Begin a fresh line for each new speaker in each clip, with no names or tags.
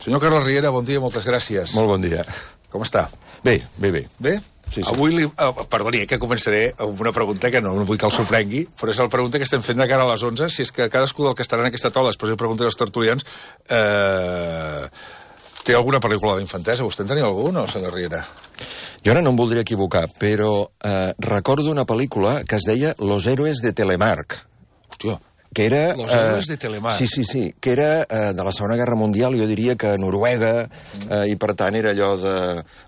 Senyor Carles Riera, bon dia, moltes gràcies.
Molt bon dia.
Com està?
Bé, bé, bé.
Bé?
Sí, sí.
Avui, perdoni, que començaré amb una pregunta que no vull que el sorprengui, però és la pregunta que estem fent de cara a les 11, si és que cadascú del que estarà en aquesta taula, després de preguntar als tertulians, té alguna pel·lícula d'infantesa? Vostè en tenia alguna, senyor Riera?
Jo ara no em voldria equivocar, però recordo una pel·lícula que es deia Los héroes de Telemark.
Hòstia,
que era...
Los héroes de Telemark.
Sí, que era de la Segona Guerra Mundial, jo diria que Noruega, i per tant era allò de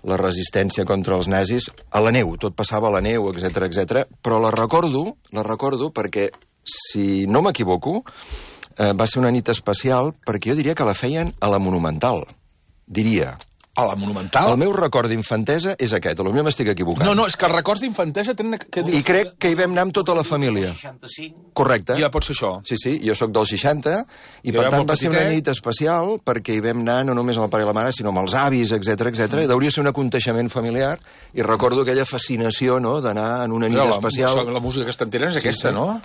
la resistència contra els nazis, a la neu, tot passava a la neu, etc. Però la recordo perquè, si no m'equivoco, va ser una nit especial, perquè jo diria que la feien a la Monumental, diria.
A la Monumental?
El meu record d'infantesa és aquest, potser m'estic equivocant.
No, és que els records d'infantesa tenen...
I crec que hi vam anar amb tota la família.
65.
Correcte.
Ja pot ser això.
Sí, jo sóc del 60, i per tant va ser una nit especial, perquè hi vam anar no només amb el pare i la mare, sinó amb els avis, etc. Deuria ser un aconteixement familiar, i recordo aquella fascinació, no?, d'anar en una nit especial.
La música que estan tirant és aquesta, no?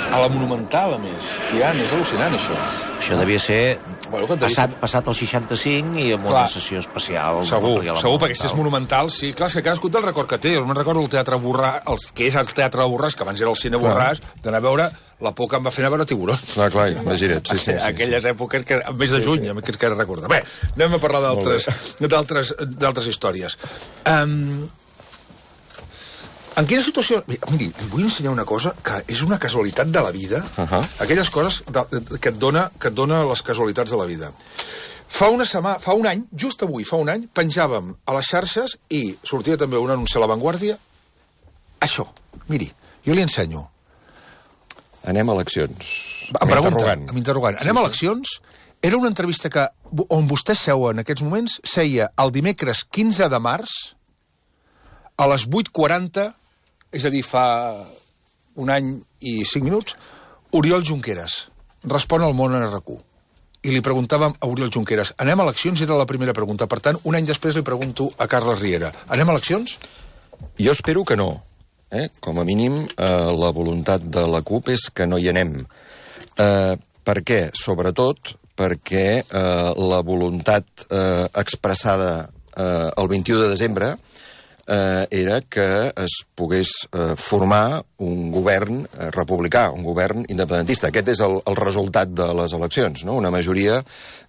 A la Monumental, a més. Tian, és al·lucinant, això.
Això devia ser passat el 65 i amb una sessió especial.
Segur, perquè si és Monumental, sí. Clar, és que cadascú té el record que té. Jo me'n recordo el Teatre Borràs, que és el Teatre Borràs, que abans era el Cine Borràs, d'anar a veure la por que em va fer anar a veure Tiburón.
Clar, imagina't, sí.
Aquelles èpoques, que al mes de juny, que recordar. Bé, anem a parlar d'altres històries. En quina situació... Miri, li vull ensenyar una cosa que és una casualitat de la vida, aquelles coses que et dona les casualitats de la vida. Fa un any, just avui, fa un any, penjàvem a les xarxes i sortia també un anunci a La Vanguardia. Això, miri, jo li ensenyo.
Anem a eleccions.
Amb interrogant. Anem a eleccions. Era una entrevista on vostè seu en aquests moments, seia el dimecres 15 de març, a les 8:40, és a dir, fa un any i 5 minuts, Oriol Junqueras respon al Món en RQ. I li preguntàvem a Oriol Junqueras, anem a eleccions? Era la primera pregunta. Per tant, un any després li pregunto a Carles Riera, anem a eleccions?
Jo espero que no. Com a mínim, la voluntat de la CUP és que no hi anem. Per què? Sobretot perquè la voluntat expressada el 21 de desembre era que es pogués formar un govern republicà, un govern independentista. Aquest és el resultat de les eleccions, no? Una majoria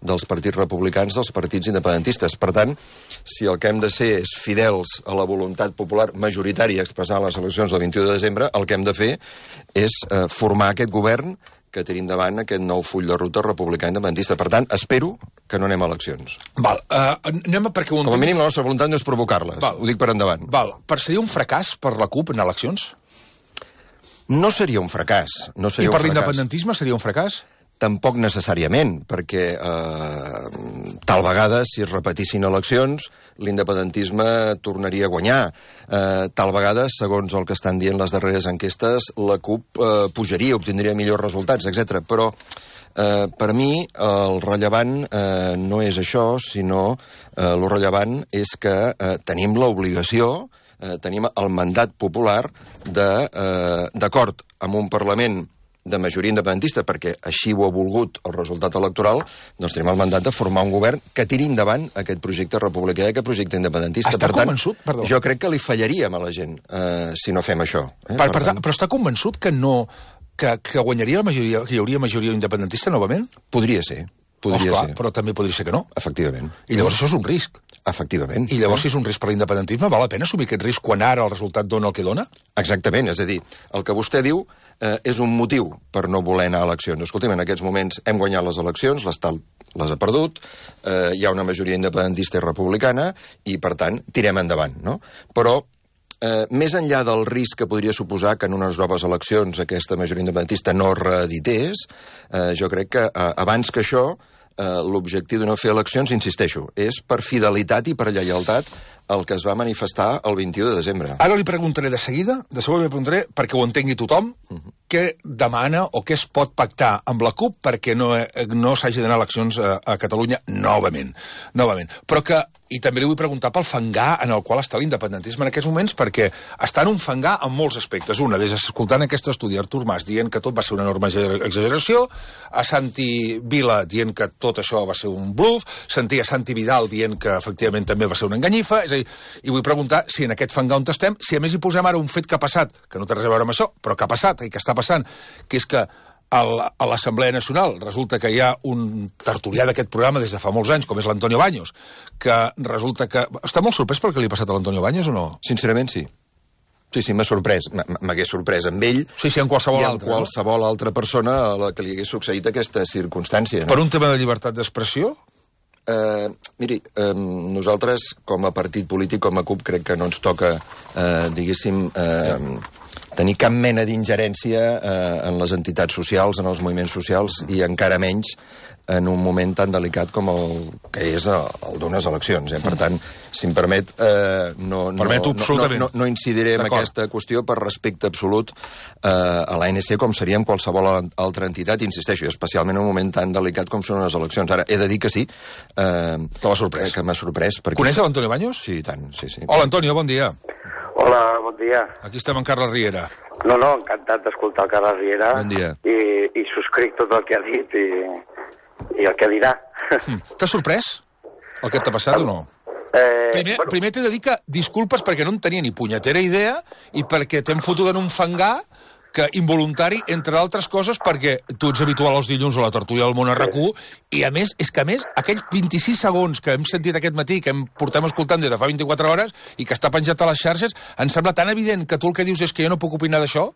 dels partits republicans dels partits independentistes. Per tant, si el que hem de ser és fidels a la voluntat popular majoritària expressada a les eleccions del 21 de desembre, el que hem de fer és formar aquest govern que tenim davant aquest nou full de ruta republicà independentista. Per tant, espero que no anem a eleccions.
Val, perquè
com a mínim la nostra voluntat no és provocar-les. Ho dic per endavant.
Val, seria un fracàs per la CUP en eleccions?
No seria un fracàs.
I per l'independentisme seria un fracàs?
Tampoc necessàriament, perquè tal vegada, si es repetissin eleccions, l'independentisme tornaria a guanyar. Tal vegada, segons el que estan dient les darreres enquestes, la CUP pujaria, obtindria millors resultats, etc. Però per mi el rellevant no és això, sinó el rellevant és que tenim l'obligació, tenim el mandat popular d'acord amb un Parlament de majoria independentista, perquè així ho ha volgut el resultat electoral, doncs tenim el mandat de formar un govern que tiri endavant aquest projecte republicà i aquest projecte independentista.
Està convençut? Perdó.
Jo crec que li fallaríem a la gent si no fem això.
Però està convençut que guanyaria la majoria, que hi hauria majoria independentista novament?
Podria ser. Ser.
Però també podria ser que no.
Efectivament.
I llavors això és un risc.
Efectivament.
I llavors, si és un risc per l'independentisme, val la pena assumir aquest risc quan ara el resultat dona el que dona?
Exactament, és a dir, el que vostè diu és un motiu per no voler anar a eleccions. Escolti'm, en aquests moments hem guanyat les eleccions, l'Estat les ha perdut, hi ha una majoria independentista i republicana, i, per tant, tirem endavant, no? Però més enllà del risc que podria suposar que en unes noves eleccions aquesta majoria independentista no reedités, jo crec que abans que això l'objectiu de no fer eleccions, insisteixo, és per fidelitat i per lleialtat el que es va manifestar el 21 de desembre.
Ara li preguntaré de seguida, li preguntaré perquè ho entengui tothom, què demana o què es pot pactar amb la CUP perquè no s'hagi d'anar a eleccions a Catalunya novament. Però que, i també li vull preguntar pel fangar en el qual està l'independentisme en aquests moments, perquè està en un fangar en molts aspectes. Una, des escoltant aquest estudi, Artur Mas dient que tot va ser una enorme exageració, a Santi Vila dient que tot això va ser un bluff, sentir a Santi Vidal dient que efectivament també va ser una enganyifa, és a dir, i vull preguntar si en aquest fangar on estem, si a més hi posem ara un fet que ha passat, que no té res a veure amb això, però que ha passat i que està passant, que és que a l'Assemblea Nacional resulta que hi ha un tertulià d'aquest programa des de fa molts anys, com és l'Antonio Baños, que resulta que... Està molt sorprès pel que li ha passat a l'Antonio Baños o no?
Sincerament, sí. Sí, m'ha sorprès. M'hagués sorprès amb ell
sí, en qualsevol altre.
I en qualsevol altra persona a la que li hagués succeït aquesta circumstància.
Per un tema de llibertat d'expressió?
Miri, nosaltres, com a partit polític, com a CUP, crec que no ens toca, diguéssim... tenir cap mena d'ingerència en les entitats socials, en els moviments socials, i encara menys en un moment tan delicat com el que és el d'unes eleccions. Per tant, si em permet, no incidiré en aquesta qüestió per respecte absolut a l'ANC, com seria en qualsevol altra entitat, insisteixo, i especialment en un moment tan delicat com són les eleccions. Ara, he de dir que sí, que m'ha sorprès.
Coneix l'Antonio Baños?
Sí, tant, sí.
Hola, Antonio, bon dia.
Hola, bon dia.
Aquí estem en Carles Riera.
No, encantat d'escoltar el Carles Riera.
Bon dia.
I subscric tot el que ha dit i el que dirà.
T'ha sorprès el que t'ha passat o no? Primer t'he de dir que disculpes perquè no en tenia ni punyetera idea i perquè t'hem fotut en un fangar que involuntari, entre altres coses, perquè tu ets habitual els dilluns a la tertúlia del Món RQ, i a més, aquells 26 segons que hem sentit aquest matí, que portem escoltant des de fa 24 hores, i que està penjat a les xarxes, em sembla tan evident que tu el que dius és que jo no puc opinar d'això?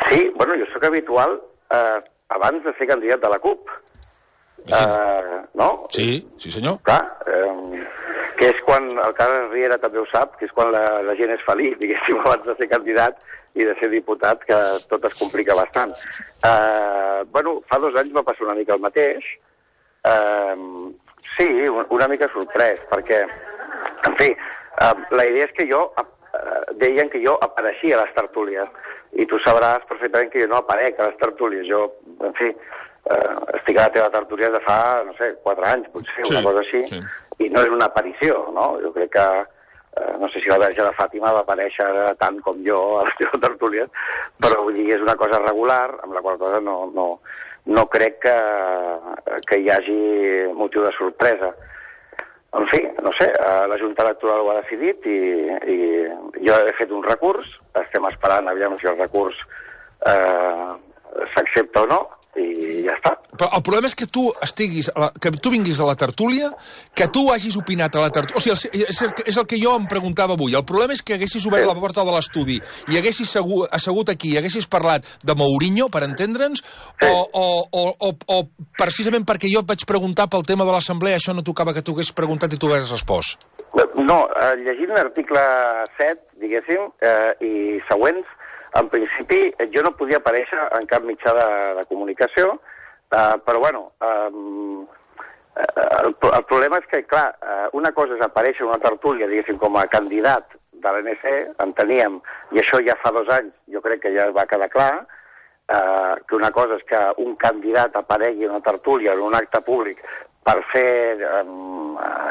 Sí, bueno, jo sóc habitual abans de ser candidat de la CUP. No?
Sí, senyor.
Clar, que és quan, el Carles Riera també ho sap, que és quan la gent és feliç, diguéssim, abans de ser candidat i de ser diputat, que tot es complica bastant. Bueno, fa 2 anys va passar una mica el mateix. Sí, una mica sorprès, perquè, en fi, la idea és que deien que jo apareixia a les tertúlies, i tu sabràs perfectament que jo no aparec a les tertúlies. Jo, en fi, estic a la teva tertúlia de fa, no sé, 4 anys, potser, una cosa així, i no és una aparició, no? Jo crec que no sé si la Verge de Fàtima va aparèixer tant com jo a les teves tertúlies, però vull dir, és una cosa regular, amb la qual cosa no crec que hi hagi motiu de sorpresa. En fi, no sé, la Junta Electoral ho ha decidit i jo he fet un recurs, estem esperant, aviam si el recurs s'accepta o no, i ja està.
Però el problema és que tu vinguis a la tertúlia, que tu hagis opinat a la tertúlia... O sigui, és el que jo em preguntava avui. El problema és que haguessis obert la porta de l'estudi i haguessis assegut aquí i haguessis parlat de Mourinho, per entendre'ns, o precisament perquè jo et vaig preguntar pel tema de l'Assemblea, això no tocava que tu haguessis preguntat i tu haguessis respost.
No, llegint l'article 7, diguéssim, i següents, en principi, jo no podia aparèixer en cap mitjà de comunicació, però, bueno, el problema és que, clar, una cosa és aparèixer en una tertúlia, diguéssim, com a candidat de l'ANC, enteníem, i això ja fa 2 anys, jo crec que ja va quedar clar, que una cosa és que un candidat aparegui en una tertúlia, en un acte públic, per fer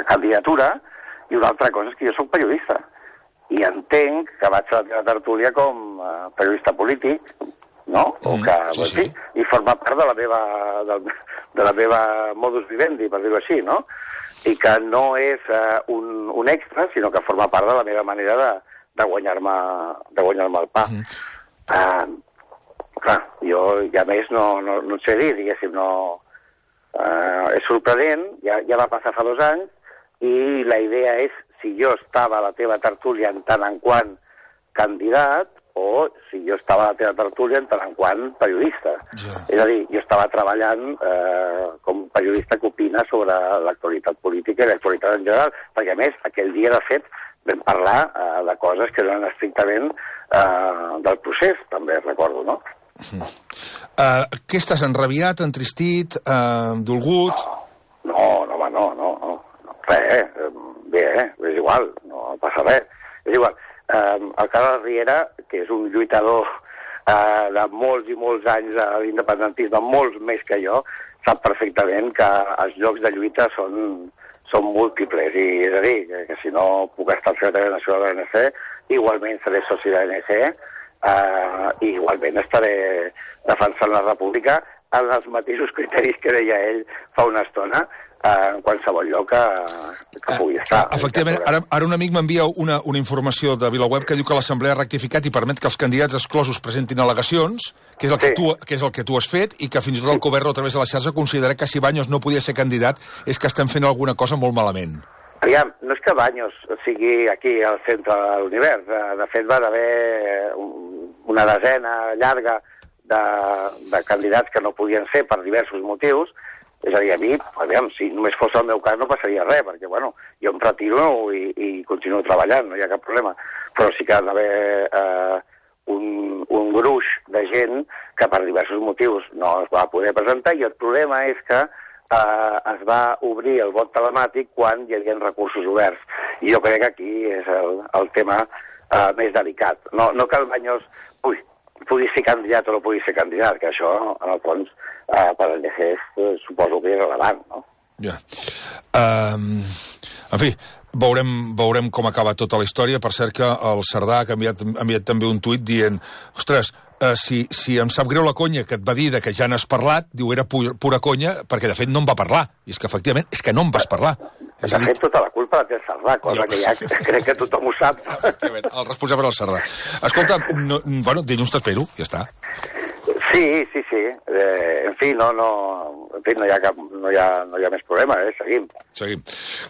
candidatura, i una altra cosa és que jo soc periodista. I entenc que vaig a la teva tertúlia com a periodista polític, no? O que, sí. I forma part de la meva modus vivendi, per dir-ho així, no? I que no és un extra, sinó que forma part de la meva manera de guanyar-me el pa. Clar, jo, ja més, no sé dir, diguéssim, no... És sorprenent, ja va passar fa 2 anys, i la idea és si jo estava a la teva tertúlia en tant en quant candidat o si jo estava a la teva tertúlia en tant en quant periodista. Ja. És a dir, jo estava treballant com periodista que opina sobre l'actualitat política i l'actualitat en general, perquè a més, aquell dia, de fet, vam parlar de coses que eren estrictament del procés, també recordo, no?
Què estàs, enrabiat, entristit, dolgut?
No. Res, bé, és igual, no passa res. És igual. El Carles Riera, que és un lluitador de molts i molts anys de l'independentisme, molts més que jo, sap perfectament que els llocs de lluita són múltiples. I és a dir, que si no puc estar al secretari nacional de l'ANC, igualment seré soci de l'ANC, i igualment estaré defensant la república en els mateixos criteris que deia ell fa una estona, en qualsevol lloc que pugui estar.
Efectivament, ara un amic m'envia una informació de VilaWeb que diu que l'Assemblea ha rectificat i permet que els candidats exclosos presentin al·legacions, que és el que tu has fet, i que fins i tot el Coverro, a través de la xarxa, considera que si Baños no podia ser candidat és que estem fent alguna cosa molt malament.
Aviam, no és que Baños sigui aquí al centre de l'univers. De fet, va haver una desena llarga de candidats que no podien ser per diversos motius. És a dir, a mi, aviam, si només fos el meu cas no passaria res, perquè, bueno, jo em retiro i continuo treballant, no hi ha cap problema. Però sí que ha d'haver un gruix de gent que per diversos motius no es va poder presentar, i el problema és que es va obrir el vot telemàtic quan hi havia recursos oberts. I jo crec que aquí és el tema més delicat. No que el Baños pugui ser candidat o no pugui ser candidat, que això, en el fons, per al DGS suposo que és rellevant, no?
Ja. En fi, veurem com acaba tota la història. Per cert que el Cerdà ha enviat també un tuit dient, ostres, si em sap greu la conya que et va dir que ja n'has parlat, diu, era pura conya, perquè de fet no em va parlar. I és que efectivament, és que no em vas parlar.
De fet, tota la culpa la té el Cerdà, cosa que ja crec que tothom ho sap.
El responsable és el Cerdà. Escolta, dilluns t'espero, ja està.
Sí. En fi, no hi ha més problema, Seguim.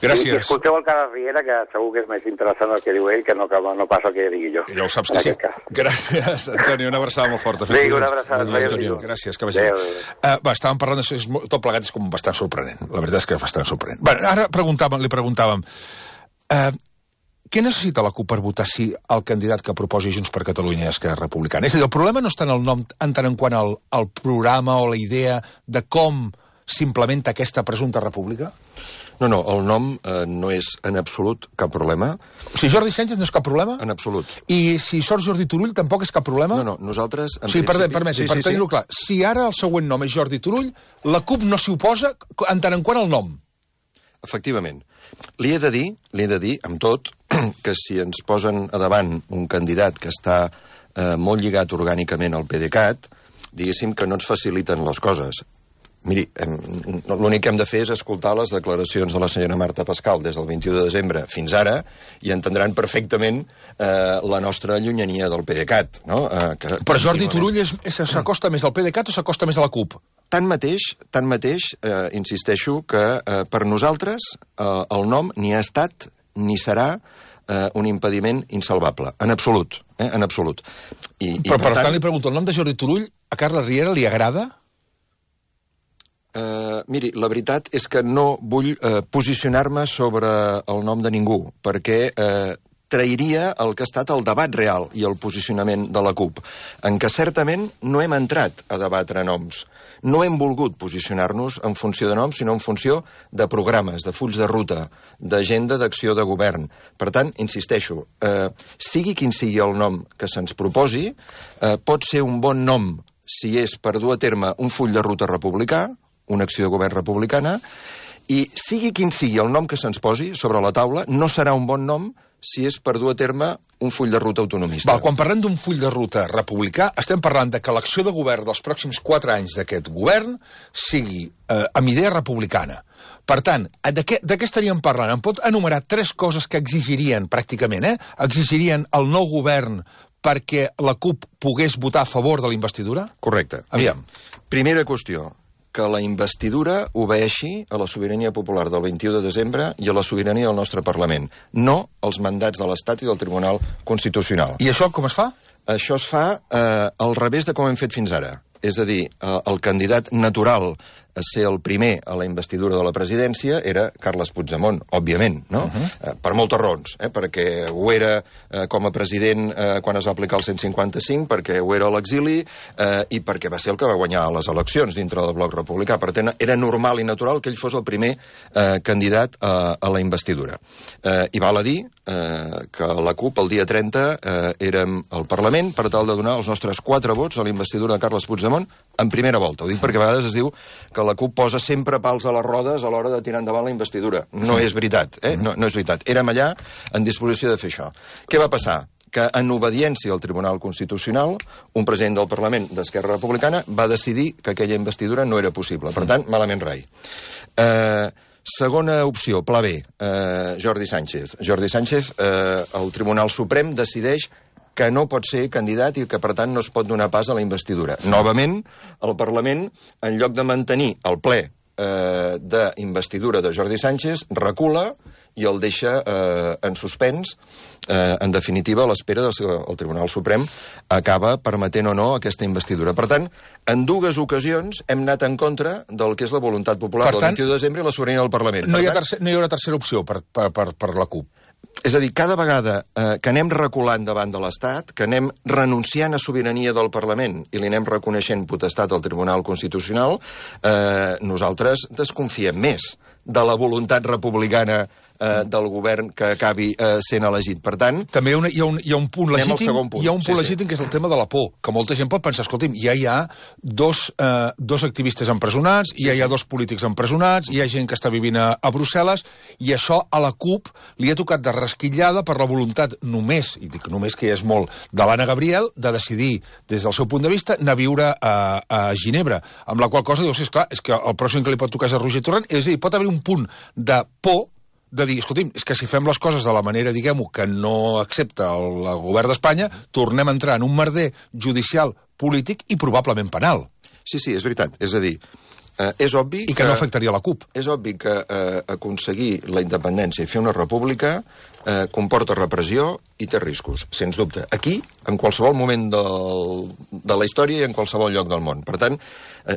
Gràcies.
I escolteu el Carles Riera, que segur que és més interessant el que diu ell que no passa el que digui jo.
Ja ho saps que sí. Gràcies, Antoni, una abraçada molt forta.
Sí, una abraçada.
Gràcies, que vagi bé. Estàvem parlant d'això, tot plegat és com bastant sorprenent. La veritat és que és bastant sorprenent. Ara li preguntàvem, què necessita la CUP per votar sí al candidat que proposi Junts per Catalunya i Esquerra Republicana? És a dir, el problema no està en el nom en tant en quant al programa o la idea de com s'implementa aquesta presumpta república?
No, el nom no és en absolut cap problema.
O sigui, Jordi Sánchez no és cap problema?
En absolut.
I si sort Jordi Turull tampoc és cap problema?
No, nosaltres...
Sí, permeti, per tenir-ho clar. Si ara el següent nom és Jordi Turull, la CUP no s'hi oposa en tant en quant al nom?
Efectivament. Li he de dir, amb tot, que si ens posen a davant un candidat que està molt lligat orgànicament al PDeCAT, diguéssim que no ens faciliten les coses. Miri, l'únic que hem de fer és escoltar les declaracions de la senyora Marta Pascal des del 21 de desembre fins ara i entendran perfectament la nostra llunyania del PDeCAT. No?
Però Jordi Turull s'acosta més al PDeCAT o s'acosta més a la CUP?
Tanmateix, insisteixo que per nosaltres el nom ni ha estat ni serà un impediment insalvable. En absolut. En absolut.
Però per tant li pregunto, el nom de Jordi Turull a Carles Riera li agrada?
Miri, la veritat és que no vull posicionar-me sobre el nom de ningú, perquè trairia el que ha estat el debat real i el posicionament de la CUP, en què certament no hem entrat a debatre noms. No hem volgut posicionar-nos en funció de noms, sinó en funció de programes, de fulls de ruta, d'agenda d'acció de govern. Per tant, insisteixo, sigui quin sigui el nom que se'ns proposi, pot ser un bon nom si és per dur a terme un full de ruta republicà, una acció de govern republicana, i sigui quin sigui el nom que se'ns posi sobre la taula, no serà un bon nom si és per dur a terme un full de ruta autonomista.
Quan parlem d'un full de ruta republicà, estem parlant de que l'acció de govern dels pròxims 4 anys d'aquest govern sigui amb idea republicana. Per tant, de què estaríem parlant? Em pot enumerar 3 coses que exigirien, pràcticament, exigirien el nou govern perquè la CUP pogués votar a favor de la investidura?
Correcte.
Aviam.
Primera qüestió, que la investidura obeeixi a la sobirania popular del 21 de desembre i a la sobirania del nostre Parlament, no als mandats de l'Estat i del Tribunal Constitucional.
I això com es fa?
Això es fa al revés de com hem fet fins ara. És a dir, el candidat natural a ser el primer a la investidura de la presidència era Carles Puigdemont, òbviament, no? Per moltes raons, perquè ho era com a president quan es va aplicar el 155, perquè ho era a l'exili i perquè va ser el que va guanyar les eleccions dintre del bloc republicà. Per tant, era normal i natural que ell fos el primer candidat a la investidura. I val a dir que la CUP el dia 30 érem al Parlament per tal de donar els nostres 4 vots a la investidura de Carles Puigdemont en primera volta. Ho dic perquè a vegades es diu que la CUP posa sempre pals a les rodes a l'hora de tirar endavant la investidura. No és veritat, no és veritat. Érem allà en disposició de fer això. Què va passar? Que en obediència al Tribunal Constitucional, un president del Parlament d'Esquerra Republicana va decidir que aquella investidura no era possible. Per tant, malament rai. Segona opció, pla B, Jordi Sánchez. Jordi Sánchez, el Tribunal Suprem decideix que no pot ser candidat i que, per tant, no es pot donar pas a la investidura. Novament, el Parlament, en lloc de mantenir el ple d'investidura de Jordi Sánchez, recula i el deixa en suspens, en definitiva, a l'espera que el Tribunal Suprem acaba permetent o no aquesta investidura. Per tant, en 2 ocasions hem anat en contra del que és la voluntat popular del 21 de desembre i la sobirania del Parlament.
No hi haurà tercera opció per la CUP.
És a dir, cada vegada que anem reculant davant de l'Estat, que anem renunciant a sobirania del Parlament i li anem reconeixent potestat al Tribunal Constitucional, nosaltres desconfiem més de la voluntat republicana del govern que acabi sent elegit. Per tant...
També hi ha un punt legítim, que és el tema de la por, que molta gent pot pensar, escolti'm, ja hi ha dos activistes empresonats, ja hi ha 2 polítics empresonats, hi ha gent que està vivint a Brussel·les, i això a la CUP li ha tocat de rasquillada per la voluntat només, i dic només que ja és molt, de l'Anna Gabriel, de decidir, des del seu punt de vista, anar a viure a Ginebra. Amb la qual cosa dius, esclar, és que el pròxim que li pot tocar és a Roger Torrent, és a dir, pot haver un punt de por de dir, escolti'm, és que si fem les coses de la manera, diguem-ho, que no accepta el govern d'Espanya, tornem a entrar en un merder judicial, polític i probablement penal.
Sí, és veritat. És a dir, és obvi
I que no afectaria la CUP.
És obvi que aconseguir la independència i fer una república comporta repressió i té riscos, sens dubte. Aquí, en qualsevol moment de la història i en qualsevol lloc del món. Per tant,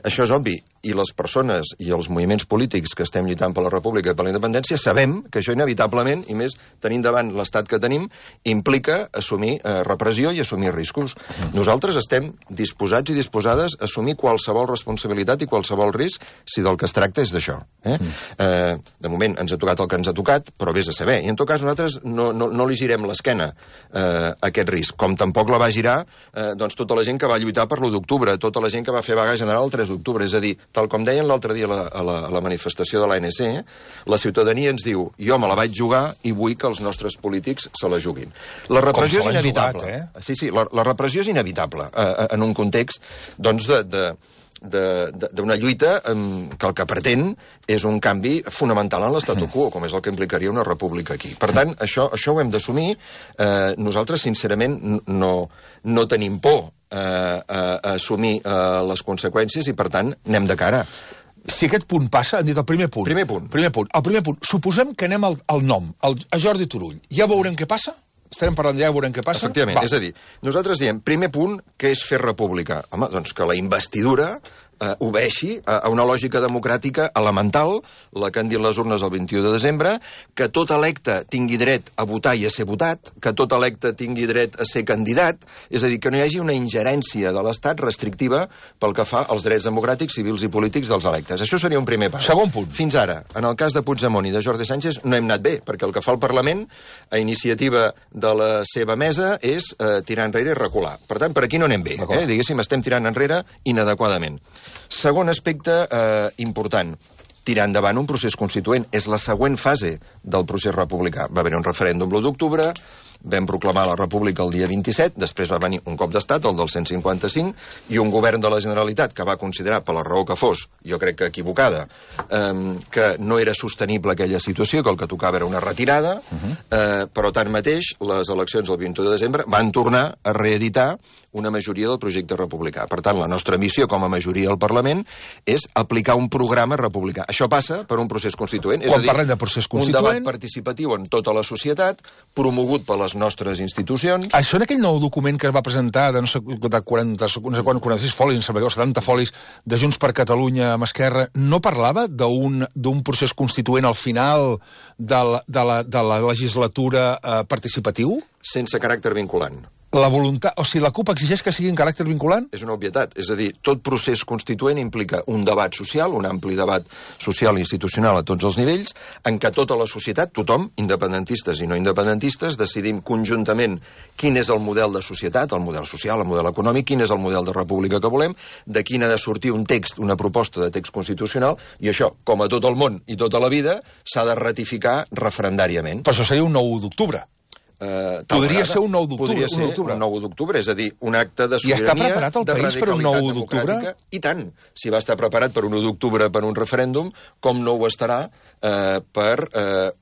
això és obvi. I les persones i els moviments polítics que estem lluitant per la república i per la independència sabem que això inevitablement, i més tenint davant l'estat que tenim, implica assumir repressió i assumir riscos. Nosaltres estem disposats i disposades a assumir qualsevol responsabilitat i qualsevol risc si del que es tracta és d'això. De moment ens ha tocat el que ens ha tocat, però vés a saber. I en tot cas nosaltres no li girem l'esquena a aquest risc, com tampoc la va girar tota la gent que va lluitar per l'1 d'octubre, tota la gent que va fer vaga general el 3 d'octubre. És a dir, tal com deien l'altre dia a la manifestació de l'ANC, la ciutadania ens diu, jo me la vaig jugar i vull que els nostres polítics se la juguin. La repressió és inevitable. Sí, la repressió és inevitable en un context, doncs, d'una lluita que el que pretén és un canvi fonamental en l'statu quo, com és el que implicaria una república aquí. Per tant, això ho hem d'assumir. Nosaltres, sincerament, no tenim por a assumir les conseqüències i, per tant, anem de cara.
Si aquest punt passa, han dit el primer punt. El primer punt. Suposem que anem al nom, a Jordi Turull. Ja veurem què passa? Estarem parlant ja, veurem què passa?
Efectivament, és a dir, nosaltres diem, primer punt, que és fer república. Home, doncs que la investidura obeeixi a una lògica democràtica elemental, la que han dit les urnes el 21 de desembre, que tot electe tingui dret a votar i a ser votat, que tot electe tingui dret a ser candidat, és a dir, que no hi hagi una ingerència de l'Estat restrictiva pel que fa als drets democràtics, civils i polítics dels electes. Això seria un primer pas.
Segon punt.
Fins ara, en el cas de Puigdemont i de Jordi Sánchez, no hem anat bé, perquè el que fa el Parlament, a iniciativa de la seva mesa, és tirar enrere i recular. Per tant, per aquí no anem bé. Diguéssim, estem tirant enrere inadequadament. Segon aspecte important, tirar endavant un procés constituent. És la següent fase del procés republicà. Va haver un referèndum l'1 d'octubre, vam proclamar la república el dia 27, després va venir un cop d'estat, el del 155, i un govern de la Generalitat que va considerar, per la raó que fos, jo crec que equivocada, que no era sostenible aquella situació, que el que tocava era una retirada, però tanmateix les eleccions el 21 de desembre van tornar a reeditar una majoria del projecte republicà. Per tant, la nostra missió com a majoria al Parlament és aplicar un programa republicà. Això passa per un procés constituent, és a dir,
parlem de procés constituent,
un debat participatiu en tota la societat, promogut per les les nostres institucions.
Això en aquell nou document que es va presentar de no sé, de 46 folis, 70 folis de Junts per Catalunya amb Esquerra, no parlava d'un procés constituent al final de la legislatura participatiu?
Sense caràcter vinculant.
La voluntat, o sigui, la CUP exigeix que sigui en caràcter vinculant?
És una obvietat. És a dir, tot procés constituent implica un debat social, un ampli debat social i institucional a tots els nivells, en què tota la societat, tothom, independentistes i no independentistes, decidim conjuntament quin és el model de societat, el model social, el model econòmic, quin és el model de república que volem, de quin ha de sortir un text, una proposta de text constitucional, i això, com a tot el món i tota la vida, s'ha de ratificar referendàriament.
Però això seria un 9 d'octubre. Podria ser un 9 d'octubre.
Podria ser un 9 d'octubre, és a dir, un acte de sobirania...
I està preparat el país per un 9 d'octubre?
I tant. Si va estar preparat per un 1 d'octubre per un referèndum, com no ho estarà per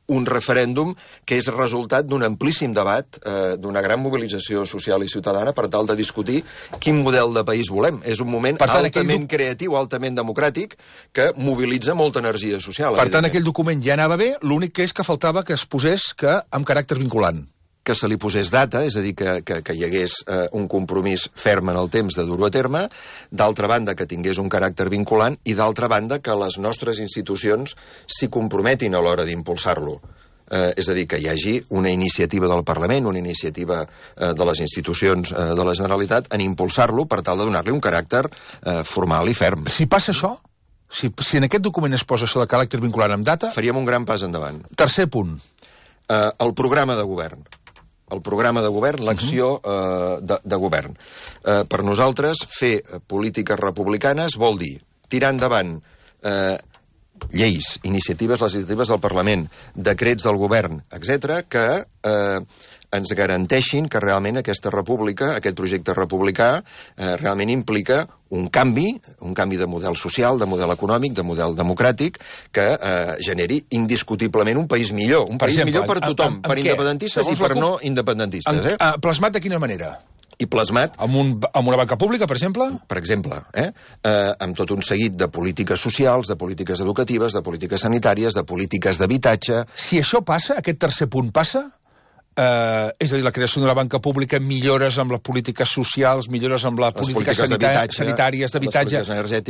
un referèndum que és resultat d'un amplíssim debat, d'una gran mobilització social i ciutadana per tal de discutir quin model de país volem. És un moment altament creatiu, altament democràtic, que mobilitza molta energia social.
Per tant, aquell document ja anava bé, l'únic que és que faltava que es posés amb caràcter vinculant.
Que se li posés data, és a dir, que hi hagués un compromís ferm en el temps de dur-ho a terme, d'altra banda que tingués un caràcter vinculant i d'altra banda que les nostres institucions s'hi comprometin a l'hora d'impulsar-lo. És a dir, que hi hagi una iniciativa del Parlament, una iniciativa de les institucions de la Generalitat en impulsar-lo per tal de donar-li un caràcter formal i ferm.
Si passa això, si en aquest document es posa això de caràcter vinculant amb data...
Faríem un gran pas endavant.
Tercer punt.
El programa de govern. El programa de govern, l'acció de govern. Per nosaltres, fer polítiques republicanes vol dir tirar endavant lleis, iniciatives legislatives del Parlament, decrets del govern, etc., que ens garanteixin que realment aquesta república, aquest projecte republicà, realment implica un canvi de model social, de model econòmic, de model democràtic, que generi indiscutiblement un país millor. Un país millor per tothom, per independentistes i per no independentistes.
Plasmat de quina manera?
I plasmat...
Amb una banca pública, per exemple?
Per exemple, amb tot un seguit de polítiques socials, de polítiques educatives, de polítiques sanitàries, de polítiques d'habitatge...
Si això passa, aquest tercer punt passa... és a dir, la creació d'una banca pública, millores amb les polítiques socials, millores amb les polítiques sanitàries, d'habitatge...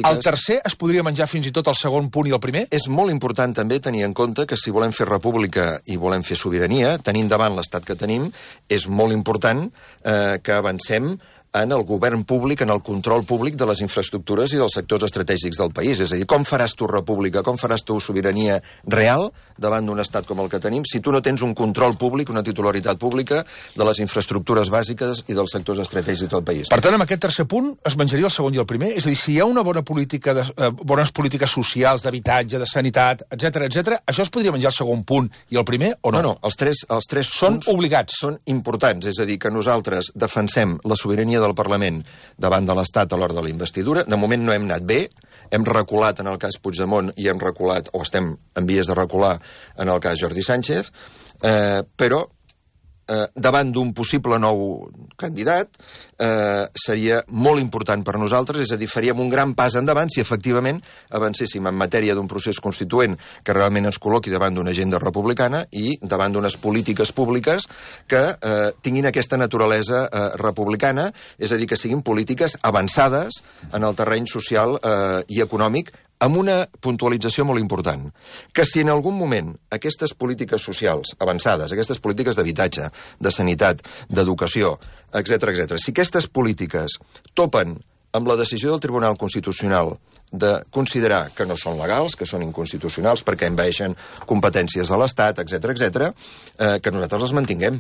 El tercer es podria menjar fins i tot el segon punt i el primer?
És molt important també tenir en compte que si volem fer república i volem fer sobirania, tenint davant l'estat que tenim, és molt important que avancem en el govern públic, en el control públic de les infraestructures i dels sectors estratègics del país. És a dir, com faràs tu república, com faràs tu sobirania real davant d'un estat com el que tenim si tu no tens un control públic, una titularitat pública de les infraestructures bàsiques i dels sectors estratègics del país.
Per tant, amb aquest tercer punt es menjaria el segon i el primer? És a dir, si hi ha una bona política bones polítiques socials, d'habitatge, de sanitat, etc., això es podria menjar el segon punt i el primer o no?
No, els tres
són obligats.
Són importants, és a dir, que nosaltres defensem la sobirania del Parlament davant de l'Estat a l'hora de la investidura. De moment no hem anat bé, hem reculat en el cas Puigdemont i hem reculat, o estem en vies de recular en el cas Jordi Sánchez, però davant d'un possible nou candidat seria molt important per nosaltres, és a dir, faríem un gran pas endavant si efectivament avancéssim en matèria d'un procés constituent que realment ens col·loqui davant d'una agenda republicana i davant d'unes polítiques públiques que tinguin aquesta naturalesa republicana, és a dir, que siguin polítiques avançades en el terreny social i econòmic, amb una puntualització molt important, que si en algun moment aquestes polítiques socials avançades, aquestes polítiques d'habitatge, de sanitat, d'educació, etc., si aquestes polítiques topen amb la decisió del Tribunal Constitucional de considerar que no són legals, que són inconstitucionals perquè envaeixen competències de l'Estat, etc., que nosaltres les mantinguem.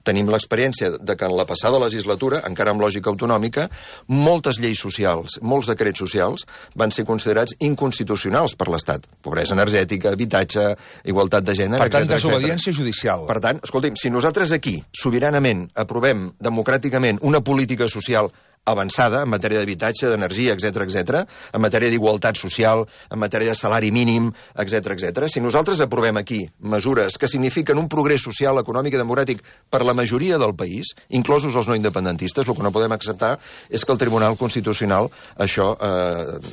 Tenim l'experiència de que en la passada legislatura, encara amb lògica autonòmica, moltes lleis socials, molts decrets socials, van ser considerats inconstitucionals per l'Estat. Pobresa energètica, habitatge, igualtat de gènere, etc.
Per tant, desobediència judicial.
Per tant, escolti'm, si nosaltres aquí, sobiranament, aprovem democràticament una política social avançada en matèria d'habitatge, d'energia, etc., en matèria d'igualtat social, en matèria de salari mínim, etc. Si nosaltres aprovem aquí mesures que signifiquen un progrés social, econòmic i democràtic per la majoria del país, inclosos els no independentistes, el que no podem acceptar és que el Tribunal Constitucional això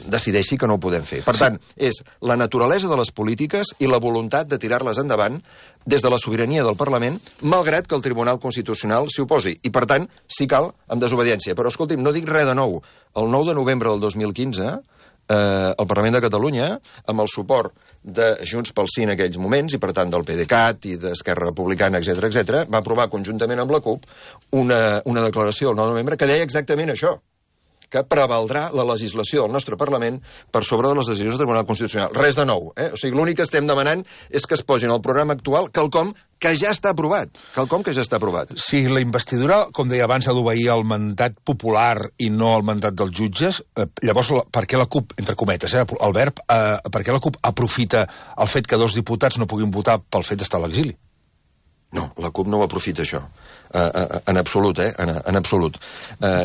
decideixi que no ho podem fer. Per tant, és la naturalesa de les polítiques i la voluntat de tirar-les endavant des de la sobirania del Parlament, malgrat que el Tribunal Constitucional s'hi oposi. I, per tant, si cal, amb desobediència. Però, escolti'm, no dic res de nou. El 9 de novembre del 2015, el Parlament de Catalunya, amb el suport de Junts pel Sí en aquells moments, i per tant del PDeCAT i d'Esquerra Republicana, etc., va aprovar conjuntament amb la CUP una declaració del 9 de novembre que deia exactament això, que prevaldrà la legislació del nostre Parlament per sobre de les decisions del Tribunal Constitucional. Res de nou, O sigui, l'únic que estem demanant és que es posin al programa actual quelcom que ja està aprovat.
Si la investidura, com deia abans, ha d'obeir el mandat popular i no el mandat dels jutges, llavors, per què la CUP, entre cometes, el verb, per què la CUP aprofita el fet que 2 diputats no puguin votar pel fet d'estar a l'exili?
No, la CUP no ho aprofita, això. En absolut, en absolut.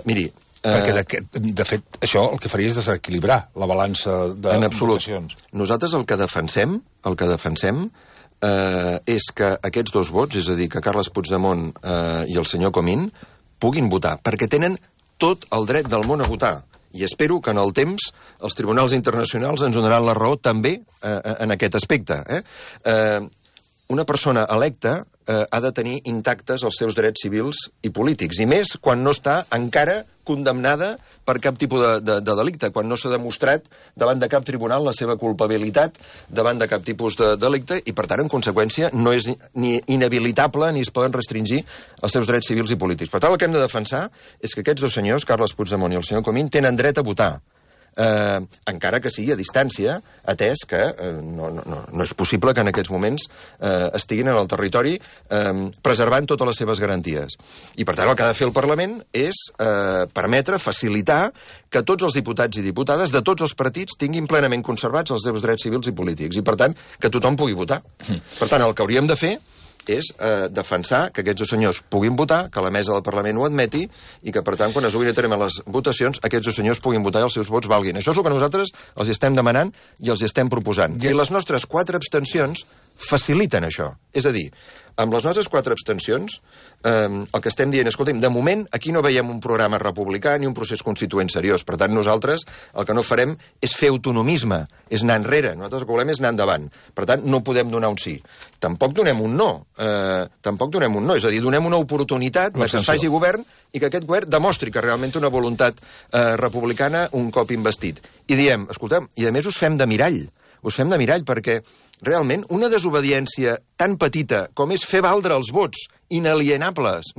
Miri,
perquè, de fet, això el que faria és desequilibrar la balança de votacions.
Nosaltres el que defensem és que aquests 2 vots, és a dir, que Carles Puigdemont i el senyor Comín puguin votar, perquè tenen tot el dret del món a votar. I espero que en el temps els tribunals internacionals ens donaran la raó també en aquest aspecte. Una persona electa ha de tenir intactes els seus drets civils i polítics, i més quan no està encara condemnada per cap tipus de delicte, quan no s'ha demostrat davant de cap tribunal la seva culpabilitat davant de cap tipus de delicte, i per tant, en conseqüència, no és ni inhabilitable ni es poden restringir els seus drets civils i polítics. Per tant, el que hem de defensar és que aquests 2 senyors, Carles Puigdemont i el senyor Comín, tenen dret a votar. Encara que sigui a distància, atès que no és possible que en aquests moments estiguin en el territori preservant totes les seves garanties. I per tant el que ha de fer el Parlament és permetre, facilitar que tots els diputats i diputades de tots els partits tinguin plenament conservats els seus drets civils i polítics, i per tant que tothom pugui votar. Per tant, el que hauríem de fer és defensar que aquests 2 senyors puguin votar, que la mesa del Parlament ho admeti, i que, per tant, quan es duguin a terme les votacions, aquests 2 senyors puguin votar i els seus vots valguin. Això és el que nosaltres els estem demanant i els estem proposant. I les nostres 4 abstencions faciliten això. És a dir, amb les nostres 4 abstencions, el que estem dient, escolta'm, de moment aquí no veiem un programa republicà ni un procés constituent seriós. Per tant, nosaltres el que no farem és fer autonomisme, és anar enrere. Nosaltres el que volem és anar endavant. Per tant, no podem donar un sí. Tampoc donem un no. És a dir, donem una oportunitat que es faci govern i que aquest govern demostri que realment té una voluntat republicana un cop investit. I diem, escolta'm, i a més us fem de mirall. Us fem de mirall perquè realment una desobediència tan petita com és fer valdre els vots inalienables,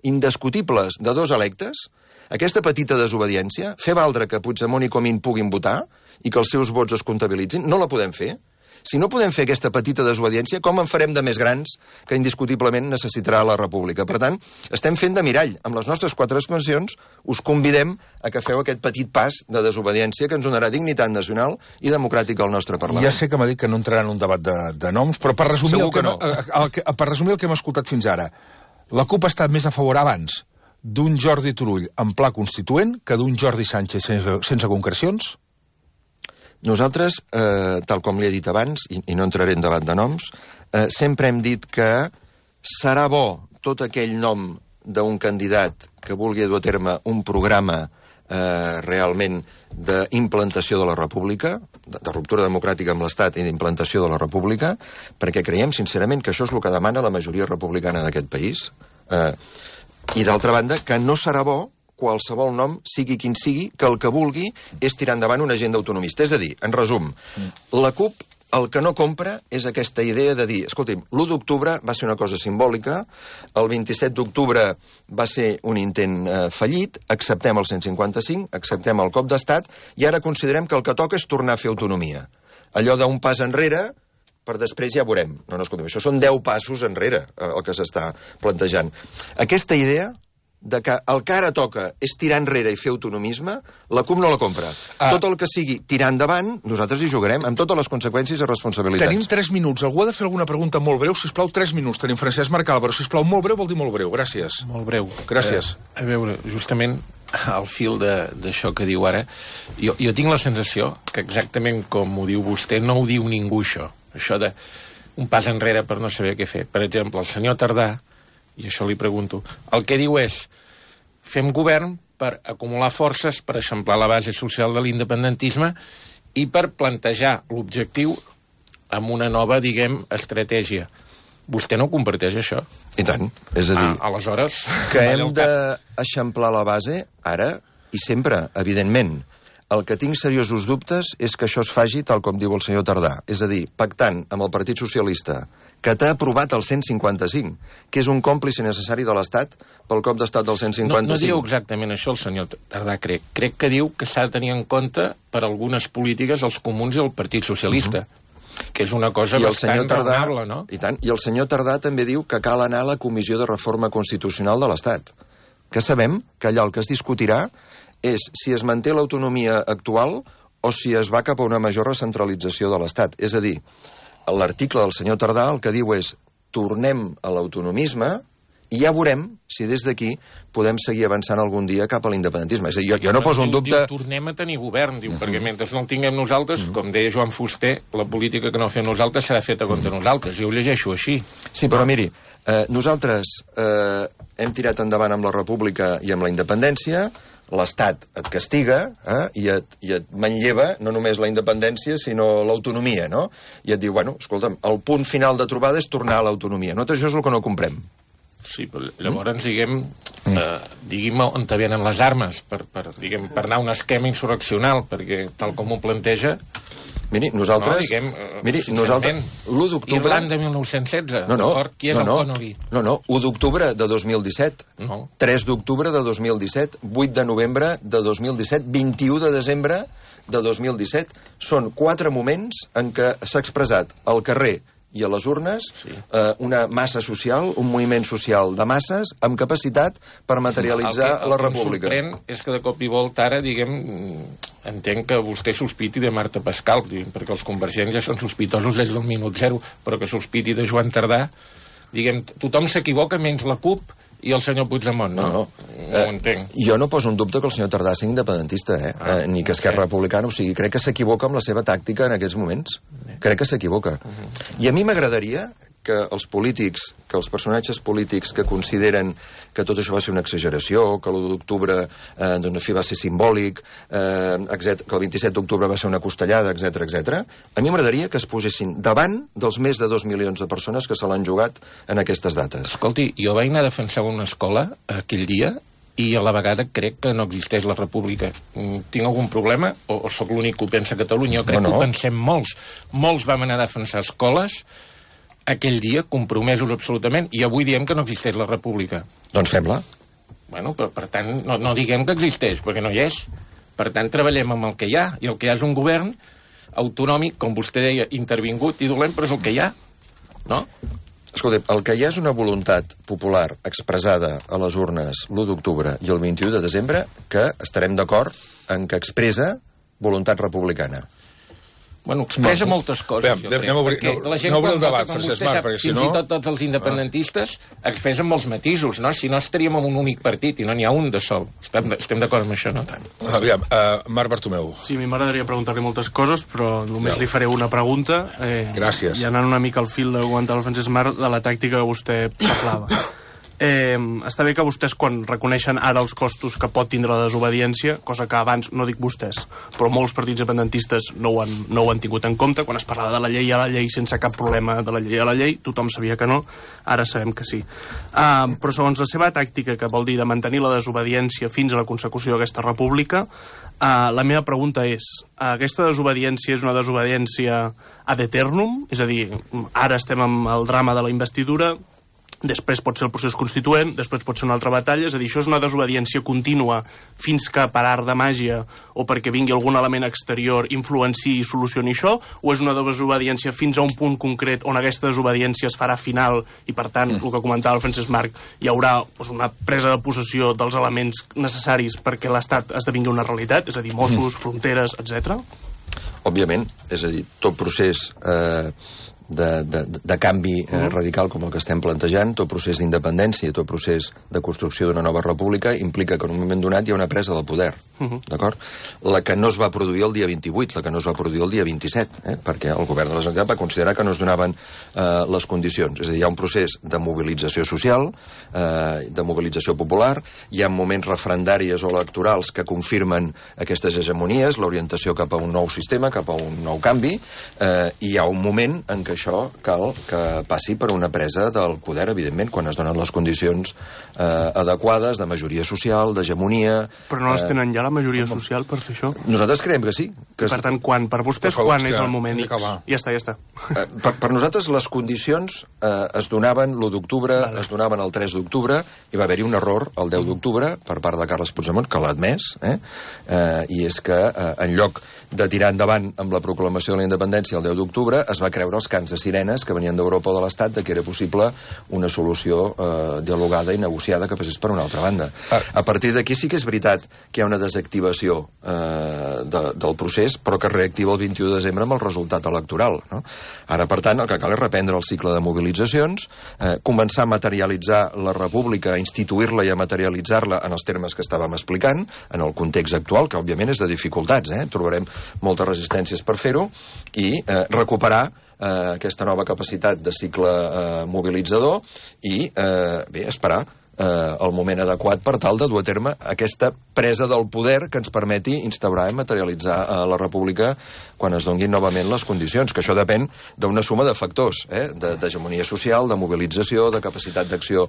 indiscutibles de 2 electes, aquesta petita desobediència, fer valdre que Puigdemont i Comín puguin votar i que els seus vots es comptabilitzin, no la podem fer. Si no podem fer aquesta petita desobediència, com en farem de més grans que indiscutiblement necessitarà la República? Per tant, estem fent de mirall. Amb les nostres 4 abstencions us convidem a que feu aquest petit pas de desobediència que ens donarà dignitat nacional i democràtica al nostre Parlament.
Ja sé que m'ha dit que no entrarà en un debat de noms, però per resumir, per resumir el que hem escoltat fins ara, la CUP ha estat més a favor abans d'un Jordi Turull en pla constituent que d'un Jordi Sánchez sense concrecions?
Nosaltres, tal com li he dit abans, i no entraré en debat de noms, sempre hem dit que serà bo tot aquell nom d'un candidat que vulgui dur a terme un programa realment d'implantació de la República, de ruptura democràtica amb l'Estat i d'implantació de la República, perquè creiem sincerament que això és el que demana la majoria republicana d'aquest país. I d'altra banda, que no serà bo qualsevol nom, sigui quin sigui, que el que vulgui és tirar endavant una agenda autonomista. És a dir, en resum, la CUP el que no compra és aquesta idea de dir, escolti'm, l'1 d'octubre va ser una cosa simbòlica, el 27 d'octubre va ser un intent fallit, acceptem el 155, acceptem el cop d'estat, i ara considerem que el que toca és tornar a fer autonomia. Allò d'un pas enrere, per després ja veurem. No, escolta'm, això són 10 passos enrere, el que s'està plantejant. Aquesta idea de que el que ara toca és tirar enrere i fer autonomisme, la CUP no la compra. Tot el que sigui tirar endavant, nosaltres hi jugarem, amb totes les conseqüències i responsabilitats.
Tenim 3 minuts. Algú ha de fer alguna pregunta molt breu? Sisplau, 3 minuts. Tenim Francesc Marcal, però sisplau, molt breu vol dir molt breu. Gràcies.
Molt breu.
Gràcies.
A veure, justament al fil d'això que diu ara, jo tinc la sensació que exactament com ho diu vostè, no ho diu ningú, això. Això de un pas enrere per no saber què fer. Per exemple, el senyor Tardà, i això li pregunto, el que diu és fem govern per acumular forces, per eixamplar la base social de l'independentisme i per plantejar l'objectiu amb una nova, diguem, estratègia. Vostè no comparteix això?
I tant. És a dir,
aleshores...
que hem d'eixamplar la base ara i sempre, evidentment. El que tinc seriosos dubtes és que això es faci tal com diu el senyor Tardà. És a dir, pactant amb el Partit Socialista, que t'ha aprovat el 155, que és un còmplice necessari de l'Estat pel cop d'estat del 155.
No diu exactament això el senyor Tardà, crec. Crec que diu que s'ha de tenir en compte per algunes polítiques els comuns i el Partit Socialista, que és una cosa bastant raonable, no?
I tant. I el senyor Tardà també diu que cal anar a la Comissió de Reforma Constitucional de l'Estat, que sabem que allà el que es discutirà és si es manté l'autonomia actual o si es va cap a una major recentralització de l'Estat. És a dir, l'article del senyor Tardà el que diu és tornem a l'autonomisme i ja veurem si des d'aquí podem seguir avançant algun dia cap a l'independentisme. És a dir, jo no poso en dubte...
Diu, tornem a tenir govern, diu, perquè mentre no el tinguem nosaltres, com deia Joan Fuster, la política que no fem nosaltres serà feta contra nosaltres. Jo ho llegeixo així.
Sí, però miri, nosaltres hem tirat endavant amb la república i amb la independència, l'Estat et castiga i et manlleva no només la independència, sinó l'autonomia, no? I et diu, bueno, escolta'm, el punt final de trobada és tornar a l'autonomia. Nosaltres això és el que no comprem.
Sí, però llavors, diguem on te venen les armes per anar a un esquema insurreccional, perquè tal com ho planteja...
Miri, nosaltres... l'1 d'octubre...
Irlanda 1916, d'acord? Qui és el Connolly?
No, 1 d'octubre de 2017, 3 d'octubre de 2017, 8 de novembre de 2017, 21 de desembre de 2017. Són 4 moments en què s'ha expressat al carrer i a les urnes una massa social, un moviment social de masses amb capacitat per materialitzar la república.
El que em sorprèn és que de cop i volta ara, entenc que vostè sospiti de Marta Pascal, perquè els convergents ja són sospitosos des del minut zero, però que sospiti de Joan Tardà, tothom s'equivoca menys la CUP i el senyor Puigdemont, no? No ho entenc.
Jo no poso en dubte que el senyor Tardà sigui independentista, ni que Esquerra Republicana, o sigui, crec que s'equivoca amb la seva tàctica en aquests moments. Crec que s'equivoca. I a mi m'agradaria que els polítics, que els personatges polítics que consideren que tot això va ser una exageració, que l'1 d'octubre va ser simbòlic, que el 27 d'octubre va ser una costellada, etc. A mi m'agradaria que es posessin davant dels més de 2 milions de persones que se l'han jugat en aquestes dates.
Escolti, jo vaig anar a defensar una escola aquell dia i a la vegada crec que no existeix la república. Tinc algun problema o sóc l'únic que ho pensa a Catalunya? Jo crec que ho pensem molts. Molts vam anar a defensar escoles aquell dia, compromesos absolutament, i avui diem que no existeix la república.
Doncs fem-la.
Bueno, però per tant, no diguem que existeix, perquè no hi és. Per tant, treballem amb el que hi ha, i el que hi ha és un govern autonòmic, com vostè deia, intervingut i dolent, però és el que hi ha, no?
Escolta, el que hi ha és una voluntat popular expressada a les urnes l'1 d'octubre i el 21 de desembre que estarem d'acord en que expressa voluntat republicana.
Bueno, expressa moltes coses, jo crec. La gent, quan vota com vostè sap, fins i tot tots els independentistes expressen molts matisos, no? Si no estaríem en un únic partit i no n'hi ha un de sol. Estem d'acord amb això, no tant?
Aviam, Marc Bartomeu.
Sí, a mi m'agradaria preguntar-li moltes coses, però només li faré una pregunta.
Gràcies.
I anant una mica al fil de comentar el Francesc Marc de la tàctica que vostè parlava. Està bé que vostès, quan reconeixen ara els costos que pot tindre la desobediència, cosa que abans, no dic vostès, però molts partits independentistes no ho han tingut en compte, quan es parlava de la llei a la llei sense cap problema de la llei a la llei, tothom sabia que no, ara sabem que sí. Però segons la seva tàctica, que vol dir de mantenir la desobediència fins a la consecució d'aquesta república, la meva pregunta és, aquesta desobediència és una desobediència ad eternum? És a dir, ara estem amb el drama de la investidura, després pot ser el procés constituent, després pot ser una altra batalla, és a dir, això és una desobediència contínua fins que per art de màgia o perquè vingui algun element exterior influenciï i solucioni això, o és una desobediència fins a un punt concret on aquesta desobediència es farà final i, per tant, el que comentava el Francesc Marc, hi haurà una presa de possessió dels elements necessaris perquè l'Estat esdevingui una realitat, és a dir, Mossos, fronteres, etc.
Òbviament, és a dir, tot procés de canvi radical com el que estem plantejant, tot procés d'independència, tot procés de construcció d'una nova república implica que en un moment donat hi ha una presa del poder. d'acord? La que no es va produir el dia 28, la que no es va produir el dia 27, perquè el govern de la Generalitat va considerar que no es donaven les condicions. És a dir, hi ha un procés de mobilització social, de mobilització popular, hi ha moments referendàries o electorals que confirmen aquestes hegemonies, l'orientació cap a un nou sistema, cap a un nou canvi, i hi ha un moment en què això cal que passi per una presa del poder, evidentment, quan es donen les condicions adequades de majoria social, d'hegemonia...
Però no les tenen ja la majoria social per fer això?
Nosaltres creiem que sí.
Per tant, per vostès, quan és el moment X? Ja està.
Per nosaltres, les condicions es donaven l'1 d'octubre, es donaven el 3 d'octubre, i va haver-hi un error el 10 d'octubre per part de Carles Puigdemont, que l'ha admès, i és que en lloc de tirar endavant amb la proclamació de la independència el 10 d'octubre, es va creure els cants de sirenes que venien d'Europa o de l'Estat de que era possible una solució dialogada i negociada que passés per una altra banda. A partir d'aquí sí que és veritat que hi ha una desactivació del procés, però que es reactiva el 21 de desembre amb el resultat electoral. No? Ara, per tant, el que cal és reprendre el cicle de mobilitzacions, començar a materialitzar la república, a instituir-la i a materialitzar-la en els termes que estàvem explicant, en el context actual, que òbviament és de dificultats, trobarem moltes resistències per fer-ho, i recuperar aquesta nova capacitat de cicle mobilitzador i, esperar el moment adequat per tal de dur a terme aquesta presa del poder que ens permeti instaurar i materialitzar la república quan es donguin novament les condicions, que això depèn d'una suma de factors, d'hegemonia social, de mobilització, de capacitat d'acció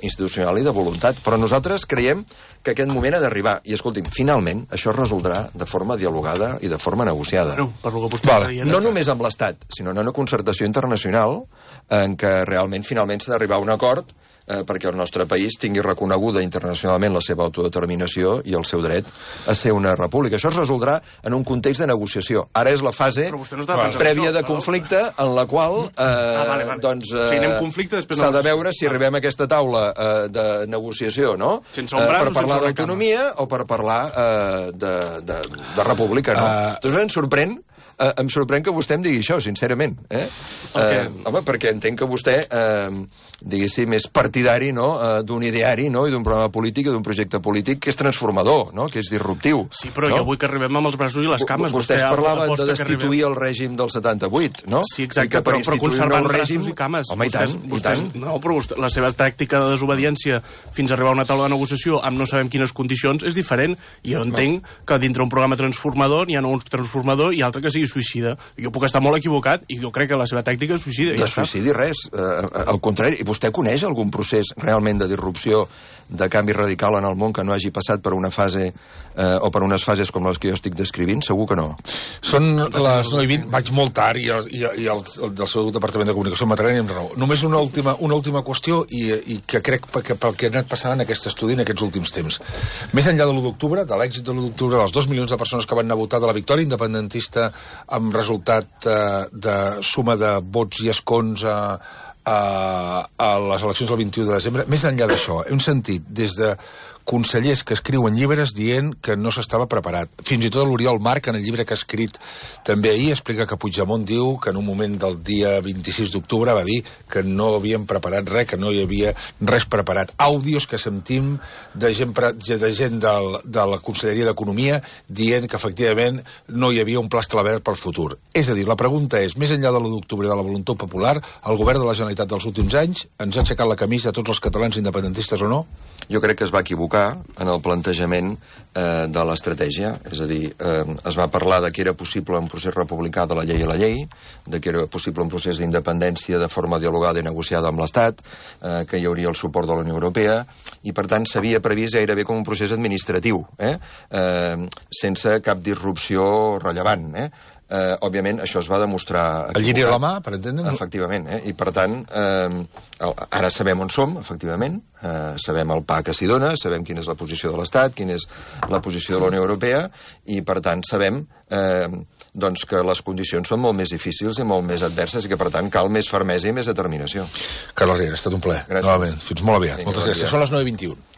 institucional i de voluntat. Però nosaltres creiem que aquest moment ha d'arribar. I, escolti'm, finalment, això es resoldrà de forma dialogada i de forma negociada. No només amb l'Estat, sinó en una concertació internacional en què realment, finalment, s'ha d'arribar a un acord perquè el nostre país tingui reconeguda internacionalment la seva autodeterminació i el seu dret a ser una república. Això es resoldrà en un context de negociació. Ara és la fase prèvia de conflicte en la qual s'ha de veure si arribem a aquesta taula de negociació, no? Per parlar d'autonomia o per parlar de república, no? Doncs em sorprèn que vostè em digui això, sincerament. Home, perquè entenc que vostè diguéssim, és partidari d'un ideari i d'un programa polític i d'un projecte polític que és transformador, que és disruptiu.
Sí, però jo vull que arribem amb els braços i les cames.
Vostès parlaven de destituir el règim del 78, no?
Sí, exacte, però conservant braços i cames.
Home, i tant.
No, però la seva tàctica de desobediència fins a arribar a una taula de negociació amb no sabem quines condicions és diferent. I jo entenc que dintre un programa transformador n'hi ha un transformador i altre que sigui suïcida. Jo puc estar molt equivocat i jo crec que la seva tàctica és suïcida.
De suïcidi res, al contrari. Vostè coneix algun procés realment de disrupció, de canvi radical en el món que no hagi passat per una fase o per unes fases com les que jo estic descrivint? Segur que no.
Són les 9:20, vaig molt tard i el del seu Departament de Comunicació m'atrenen amb raó. Només una última qüestió i que crec que pel que ha anat passant en aquest estudi en aquests últims temps. Més enllà de l'1 d'octubre, de l'èxit de l'1 d'octubre, dels 2 milions de persones que van anar a votar, de la victòria independentista amb resultat de suma de vots i escons a les eleccions del 21 de desembre, més enllà d'això, hem sentit des de consellers que escriuen llibres dient que no s'estava preparat. Fins i tot l'Oriol Marc, en el llibre que ha escrit també ahir, explica que Puigdemont diu que en un moment del dia 26 d'octubre va dir que no havien preparat res, que no hi havia res preparat. Àudios que sentim de gent de la Conselleria d'Economia dient que efectivament no hi havia un pla establert pel futur. És a dir, la pregunta és, més enllà de l'1 d'octubre i de la voluntat popular, el govern de la Generalitat dels últims anys ens ha aixecat la camisa a tots els catalans independentistes o no?
Jo crec que es va equivocar en el plantejament de l'estratègia. És a dir, es va parlar de que era possible un procés republicà de la llei a la llei, de que era possible un procés d'independència de forma dialogada i negociada amb l'Estat, que hi hauria el suport de la Unió Europea, i per tant s'havia previst gairebé com un procés administratiu, sense cap disrupció rellevant, òbviament, això es va demostrar equivocat.
El lliri a la mà, per entendre'm?
Efectivament, i per tant, ara sabem on som, efectivament, sabem el pa que s'hi dona, sabem quina és la posició de l'Estat, quina és la posició de la Unió Europea, i per tant sabem doncs que les condicions són molt més difícils i molt més adverses i que per tant cal més fermesa i més determinació.
Carles Riera, ha estat un plaer.
Gràcies.
Novament. Fins molt aviat. Moltes gràcies. Són les 9:21.